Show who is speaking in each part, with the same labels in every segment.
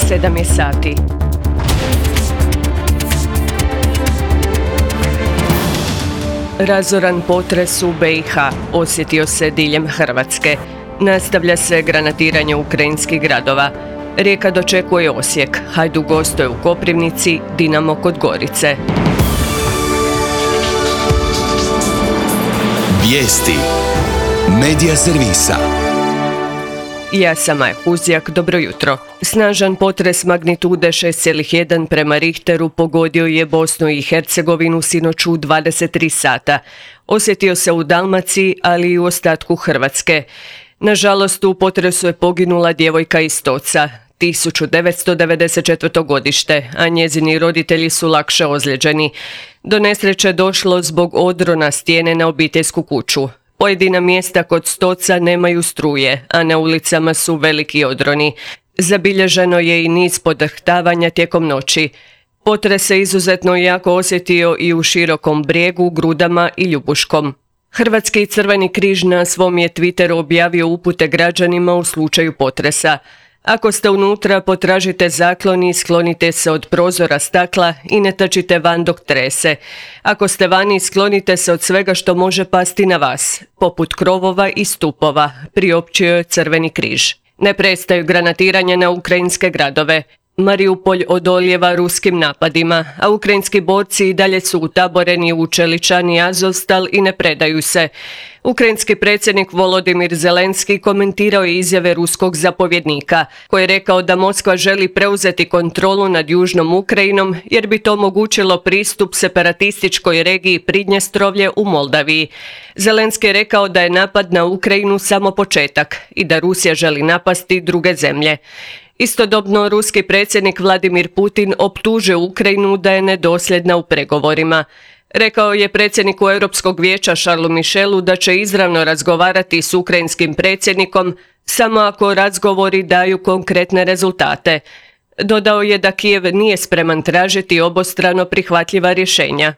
Speaker 1: 7 je sati. Razoran potres u BiH osjetio se diljem Hrvatske. Nastavlja se granatiranje ukrajinskih gradova. Rijeka dočekuje Osijek, Hajduk gostuje u Koprivnici, Dinamo kod Gorice.
Speaker 2: Vijesti Medija servisa.
Speaker 1: Ja sam Maja Huzjak, dobro jutro. Snažan potres magnitude 6,1 prema Richteru pogodio je Bosnu i Hercegovinu sinoć u 23 sata. Osjetio se u Dalmaciji, ali i u ostatku Hrvatske. Nažalost, u potresu je poginula djevojka iz Stoca, 1994. godište, a njezini roditelji su lakše ozlijeđeni. Do nesreće došlo zbog odrona stijene na obiteljsku kuću. Pojedina mjesta kod Stoca nemaju struje, a na ulicama su veliki odroni. Zabilježeno je i niz podrhtavanja tijekom noći. Potres se izuzetno jako osjetio i u Širokom Brijegu, Grudama i Ljubuškom. Hrvatski Crveni križ na svom je Twitteru objavio upute građanima u slučaju potresa. Ako ste unutra, potražite zaklon i sklonite se od prozora stakla i ne trčite van dok trese. Ako ste vani, sklonite se od svega što može pasti na vas, poput krovova i stupova, priopćio je Crveni križ. Ne prestaju granatiranja na ukrajinske gradove. Mariupolj odolijeva ruskim napadima, a ukrajinski borci i dalje su utaboreni u Čeličan i Azovstal i ne predaju se. Ukrajinski predsjednik Volodimir Zelenski komentirao je izjave ruskog zapovjednika, koji je rekao da Moskva želi preuzeti kontrolu nad južnom Ukrajinom jer bi to omogućilo pristup separatističkoj regiji Pridnjestrovlje u Moldaviji. Zelenski je rekao da je napad na Ukrajinu samo početak i da Rusija želi napasti druge zemlje. Istodobno, ruski predsjednik Vladimir Putin optužio Ukrajinu da je nedosljedna u pregovorima. Rekao je predsjedniku Europskog vijeća Charlesu Michelu da će izravno razgovarati s ukrajinskim predsjednikom samo ako razgovori daju konkretne rezultate. Dodao je da Kijev nije spreman tražiti obostrano prihvatljiva rješenja.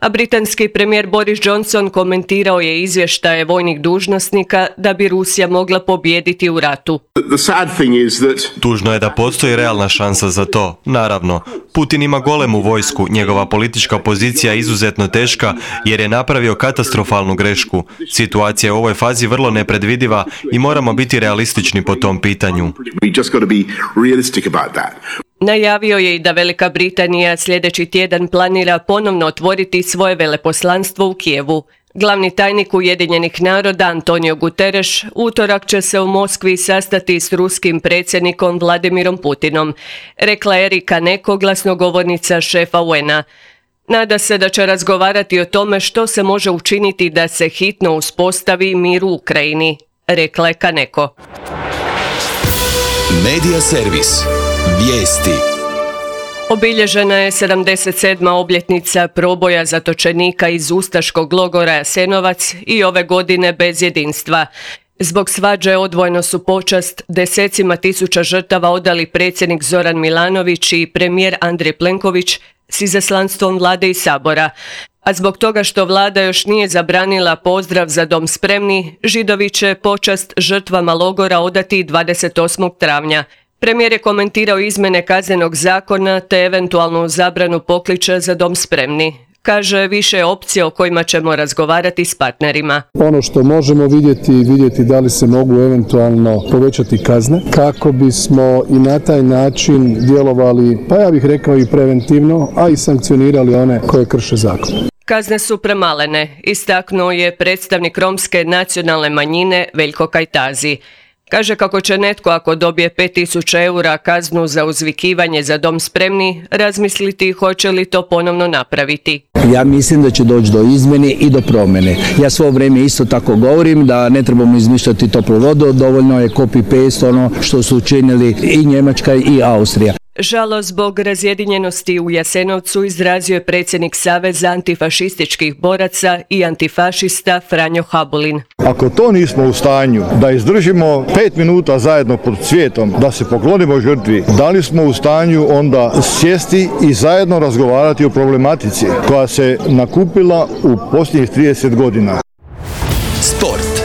Speaker 1: A britanski premijer Boris Johnson komentirao je izvještaje vojnih dužnosnika da bi Rusija mogla pobijediti u ratu.
Speaker 3: Tužno je da postoji realna šansa za to. Naravno, Putin ima golemu vojsku, njegova politička pozicija je izuzetno teška jer je napravio katastrofalnu grešku. Situacija je u ovoj fazi vrlo nepredvidiva i moramo biti realistični po tom pitanju.
Speaker 1: Najavio je i da Velika Britanija sljedeći tjedan planira ponovno otvoriti svoje veleposlanstvo u Kijevu. Glavni tajnik Ujedinjenih naroda Antonio Guterres utorak će se u Moskvi sastati s ruskim predsjednikom Vladimirom Putinom, rekla Erika Neko, glasnogovornica šefa UN-a. Nada se da će razgovarati o tome što se može učiniti da se hitno uspostavi mir u Ukrajini, rekla je Kaneko.
Speaker 2: Medija servis. Vijesti.
Speaker 1: Obilježena je 77. obljetnica proboja zatočenika iz ustaškog logora Jasenovac i ove godine bez jedinstva. Zbog svađe odvojno su počast desecima tisuća žrtava odali predsjednik Zoran Milanović i premijer Andrej Plenković s izaslanstvom vlade i sabora. A zbog toga što vlada još nije zabranila pozdrav za dom spremni, Židovi će počast žrtvama logora odati 28. travnja. Premijer je komentirao izmjene kaznenog zakona te eventualnu zabranu pokliča za dom spremni. Kaže, više opcije o kojima ćemo razgovarati s partnerima.
Speaker 4: Ono što možemo vidjeti da li se mogu eventualno povećati kazne kako bismo i na taj način djelovali, pa ja bih rekao i preventivno, a i sankcionirali one koje krše zakon.
Speaker 1: Kazne su premalene, istaknuo je predstavnik romske nacionalne manjine Veljko Kajtazi. Kaže kako će netko ako dobije 5.000 eura kaznu za uzvikivanje za dom spremni, razmisliti hoće li to ponovno napraviti.
Speaker 5: Ja mislim da će doći do izmjene i do promjene. Ja svo vrijeme isto tako govorim da ne trebamo izmišljati toplu vodu, dovoljno je copy-paste ono što su učinili i Njemačka i Austrija.
Speaker 1: Žalost zbog razjedinjenosti u Jasenovcu izrazio je predsjednik Saveza antifašističkih boraca i antifašista Franjo Habulin.
Speaker 6: Ako to nismo u stanju da izdržimo 5 minuta zajedno pod cvijetom, da se poklonimo žrtvi, da li smo u stanju onda sjesti i zajedno razgovarati o problematici koja se nakupila u posljednjih 30 godina.
Speaker 2: Sport.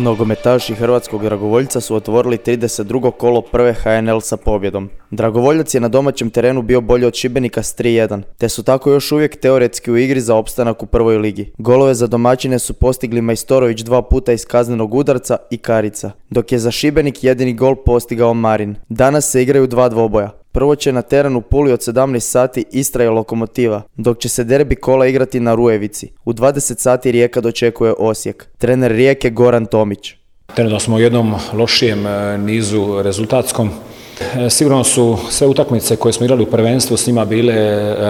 Speaker 7: Nogometaši hrvatskog Dragovoljca su otvorili 32. kolo prve HNL sa pobjedom. Dragovoljac je na domaćem terenu bio bolji od Šibenika s 3-1, te su tako još uvijek teoretski u igri za opstanak u prvoj ligi. Golove za domaćine su postigli Majstorović 2 puta iz kaznenog udarca i Karica, dok je za Šibenik jedini gol postigao Marin. Danas se igraju 2 dvoboja. Prvo će na terenu Puli od 17 sati Istra i Lokomotiva, dok će se derbi kola igrati na Rujevici. U 20 sati Rijeka dočekuje Osijek. Trener Rijeke Goran Tomić.
Speaker 8: Trenutno smo u jednom lošijem nizu rezultatskom. Sigurno su sve utakmice koje smo igrali u prvenstvu s njima bile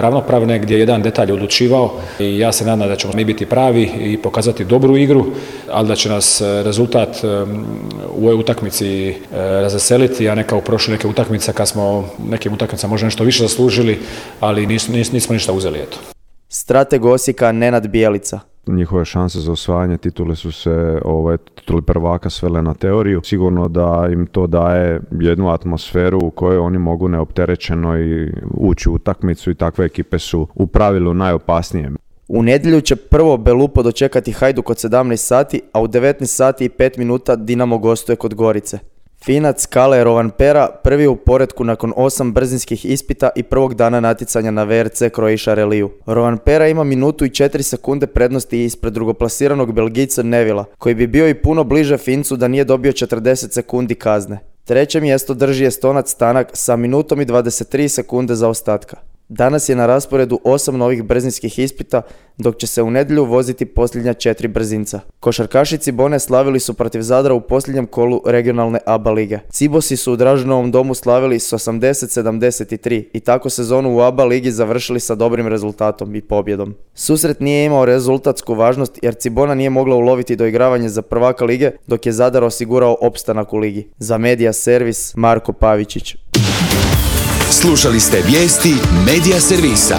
Speaker 8: ravnopravne, gdje je jedan detalj odlučivao i ja se nadam da ćemo mi biti pravi i pokazati dobru igru, ali da će nas rezultat u ovoj utakmici razveseliti, a ne kao u prošle neke utakmice kad smo nekim utakmicama možda nešto više zaslužili, ali nismo ništa uzeli. Eto.
Speaker 7: Strateg Osijeka Nenad Bijelica.
Speaker 9: Njihove šanse za osvajanje titule su se tituli prvaka svele na teoriju. Sigurno da im to daje jednu atmosferu u kojoj oni mogu neopterećeno i ući u utakmicu i takve ekipe su u pravilu najopasnije.
Speaker 7: U nedjelju će prvo Belupo dočekati Hajduk od 17 sati, a u 19 sati i 5 minuta Dinamo gostuje kod Gorice. Finac Kale Rovanpera prvi u poretku nakon 8 brzinskih ispita i prvog dana natjecanja na VRC Croatia Rallyju. Rovanpera ima minutu i 4 sekunde prednosti ispred drugoplasiranog Belgijca Nevila, koji bi bio i puno bliže Fincu da nije dobio 40 sekundi kazne. Treće mjesto drži Estonac Stanak sa minutom i 23 sekunde zaostatka. Danas je na rasporedu 8 novih brzinskih ispita, dok će se u nedjelju voziti posljednja 4 brzinca. Košarkaši Cibone slavili su protiv Zadra u posljednjem kolu regionalne ABA lige. Cibosi su u Draženovom domu slavili s 80-73 i tako sezonu u ABA ligi završili sa dobrim rezultatom i pobjedom. Susret nije imao rezultatsku važnost jer Cibona nije mogla uloviti doigravanje za prvaka lige, dok je Zadar osigurao opstanak u ligi. Za Medija Servis Marko Pavičić.
Speaker 2: Slušali ste vijesti Medija Servisa.